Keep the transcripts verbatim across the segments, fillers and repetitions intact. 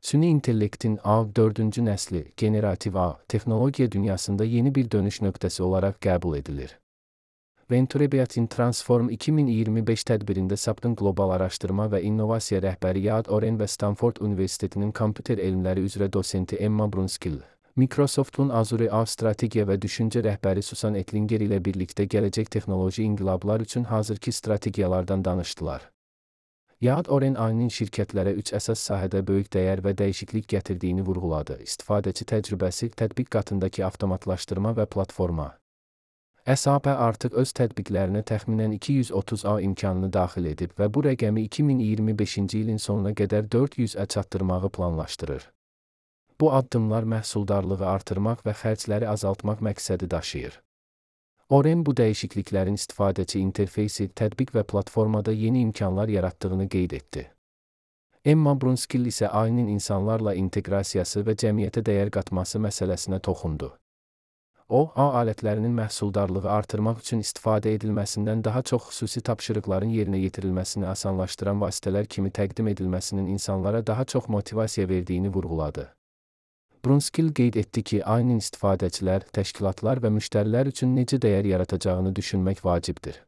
Süni intellektin A dördüncü nəsli, generativ A, texnologiya dünyasında yeni bir dönüş nöqtəsi olaraq qəbul edilir. Venturebiatin Transform iki min iyirmi beş tədbirində S A P-ın qlobal araşdırma və innovasiya rəhbəri Yad Oren və Stanford Universitetinin kompüter elmləri üzrə dosenti Emma Brunskill, Microsoft'un Azure A strategiya və düşüncə rəhbəri Susan Ettlinger ilə birlikdə gələcək texnoloji inqilablar üçün hazırki strategiyalardan danışdılar. Yad Oren A I-nin şirkətlərə üç əsas sahədə böyük dəyər və dəyişiklik gətirdiyini vurğuladı: istifadəçi təcrübəsi, tətbiq qatındakı avtomatlaşdırma və platforma. S A P artıq öz tətbiqlərinə təxminən iki yüz otuz A imkanını daxil edib və bu rəqəmi iki min iyirmi beşinci ilin sonuna qədər dörd yüzə çatdırmağı planlaşdırır. Bu addımlar məhsuldarlığı artırmaq və xərcləri azaltmaq məqsədi daşıyır. Oren bu dəyişikliklərin istifadəçi interfeysi, tətbiq və platformada yeni imkanlar yaratdığını qeyd etdi. Emma Brunskill isə A I-nin insanlarla inteqrasiyası və cəmiyyətə dəyər qatması məsələsinə toxundu. O, A I alətlərinin məhsuldarlığı artırmaq üçün istifadə edilməsindən daha çox xüsusi tapşırıqların yerinə yetirilməsini asanlaşdıran vasitələr kimi təqdim edilməsinin insanlara daha çox motivasiya verdiyini vurğuladı. Brunskill qeyd etdi ki, A I-nin istifadəçilər, təşkilatlar və müştərilər üçün necə dəyər yaratacağını düşünmək vacibdir.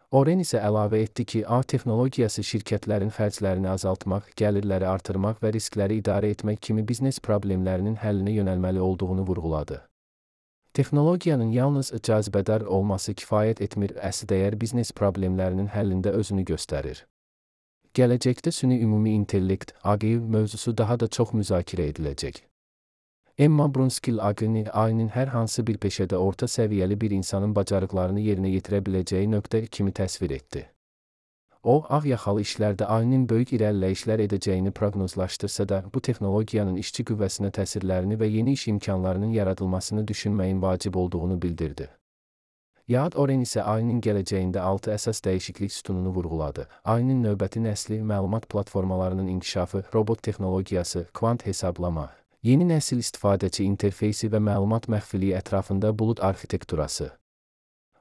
Oren isə əlavə etdi ki, A I texnologiyası şirkətlərin xərclərini azaltmaq, gəlirləri artırmaq və riskləri idarə etmək kimi biznes problemlərinin həllinə yönəlməli olduğunu vurğuladı. Texnologiyanın yalnız cazibədar olması kifayət etmir, əsl dəyər biznes problemlərinin həllində özünü göstərir. Gələcəkdə süni ümumi intellekt, A G I mövzusu daha da çox müzakirə ediləcək. Emma Brunskill A G I-ni A I-nin hər hansı bir peşədə orta səviyyəli bir insanın bacarıqlarını yerinə yetirə biləcəyi nöqtə kimi təsvir etdi. O, ağ yaxalı işlərdə A I-nin böyük irəliləyişlər edəcəyini proqnozlaşdırsa da, bu texnologiyanın işçi qüvvəsinə təsirlərini və yeni iş imkanlarının yaradılmasını düşünməyin vacib olduğunu bildirdi. Yad Oren isə A I-nin gələcəyində altı əsas dəyişiklik sütununu vurğuladı. A I-nin növbəti nəsli, məlumat platformalarının inkişafı, robot texnologiyası, kvant hesablama, yeni nəsil istifadəçi interfeysi və məlumat məxfiliyi ətrafında bulud arxitekturası.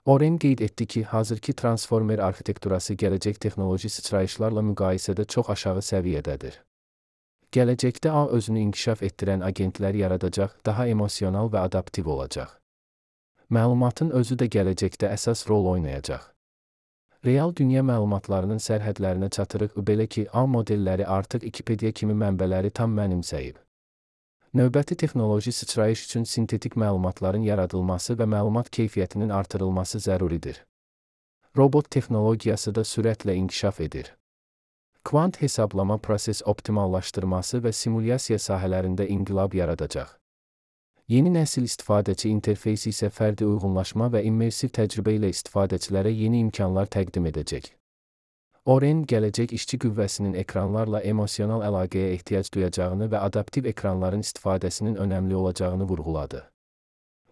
Oren qeyd etdi ki, hazırki transformer arxitekturası gələcək texnoloji sıçrayışlarla müqayisədə çox aşağı səviyyədədir. Gələcəkdə A I özünü inkişaf etdirən agentlər yaradacaq, daha emosional və adaptiv olacaq. Məlumatın özü də gələcəkdə əsas rol oynayacaq. Real dünya məlumatlarının sərhədlərinə çatırıq, belə ki, A I modelləri artıq Wikipedia kimi mənbələri tam mənimsəyib. Növbəti texnoloji sıçrayış üçün sintetik məlumatların yaradılması və məlumat keyfiyyətinin artırılması zəruridir. Robot texnologiyası da sürətlə inkişaf edir. Kvant hesablama proses optimallaşdırması və simulyasiya sahələrində inqilab yaradacaq. Yeni nəsil istifadəçi interfeysi isə fərdi uyğunlaşma və immersiv təcrübə ilə istifadəçilərə yeni imkanlar təqdim edəcək. Oren, gələcək işçi qüvvəsinin ekranlarla emosional əlaqəyə ehtiyac duyacağını və adaptiv ekranların istifadəsinin önəmli olacağını vurğuladı.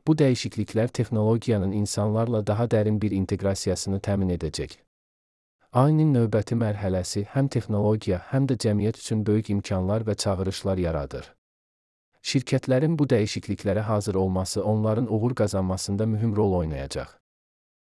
Bu dəyişikliklər texnologiyanın insanlarla daha dərin bir inteqrasiyasını təmin edəcək. A I-nin növbəti mərhələsi həm texnologiya, həm də cəmiyyət üçün böyük imkanlar və çağırışlar yaradır. Şirkətlərin bu dəyişikliklərə hazır olması onların uğur qazanmasında mühüm rol oynayacaq.